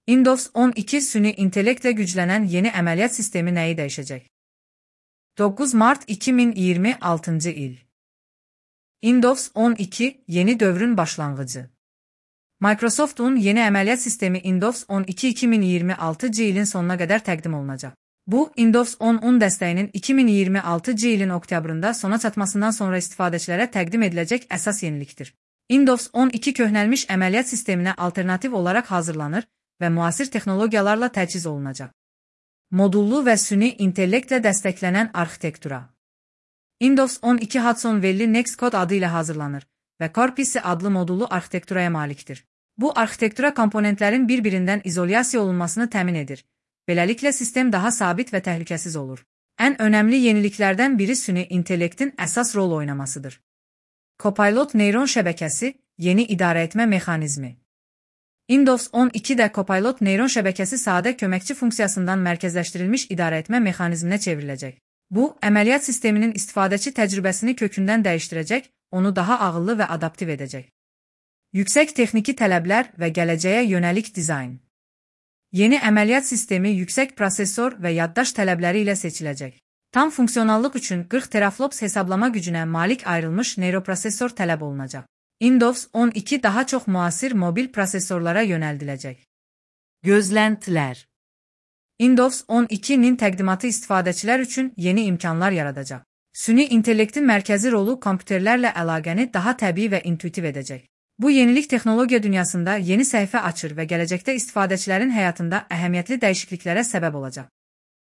Windows 12 süni intellektle güclenen yeni əməliyyat sistemi nəyi dəyişəcək? 9 Mart 2026 il. Windows 12 yeni dövrün başlanğıcı. Microsoft'un yeni əməliyyat sistemi Windows 12 2026 ilin sonuna qədər təqdim olunacaq. Bu, Windows 10 dəstəyinin 2026 ilin oktyabrında sona çatmasından sonra istifadəçilərə təqdim ediləcək əsas yenilikdir. Windows 12 köhnəlmiş əməliyyat sisteminə alternativ olaraq hazırlanır və müasir texnologiyalarla təchiz olunacaq. Modullu və süni intellektlə dəstəklənən arxitektura. Windows 12 Hudson Valley Nextcode adı ilə hazırlanır və Corpisi adlı modullu arxitekturaya malikdir. Bu arxitektura komponentlərin bir-birindən izolyasiya olunmasını təmin edir. Beləliklə sistem daha sabit və təhlükəsiz olur. Ən önəmli yeniliklərdən biri süni intellektin əsas rol oynamasıdır. Copilot neyron şəbəkəsi, yeni idarəetmə mexanizmi. Windows 12-də Copilot neyron şəbəkəsi sadə köməkçi funksiyasından mərkəzləşdirilmiş idarəetmə mexanizminə çevriləcək. Bu, əməliyyat sisteminin istifadəçi təcrübəsini kökündən dəyişdirəcək, onu daha ağıllı və adaptiv edəcək. Yüksək texniki tələblər və gələcəyə yönəlik dizayn. Yeni əməliyyat sistemi yüksək prosesor və yaddaş tələbləri ilə seçiləcək. Tam funksionallıq üçün 40 teraflops hesablama gücünə malik ayrılmış neyroprosesor tələb olunacaq. Windows 12 daha çox müasir mobil prosesorlara yönəldiləcək. Gözləntilər. Windows 12-nin təqdimatı istifadəçilər üçün yeni imkanlar yaradacaq. Süni intellektin mərkəzi rolu kompüterlərlə əlaqəni daha təbii və intuitiv edəcək. Bu yenilik texnologiya dünyasında yeni səhifə açır və gələcəkdə istifadəçilərin həyatında əhəmiyyətli dəyişikliklərə səbəb olacaq.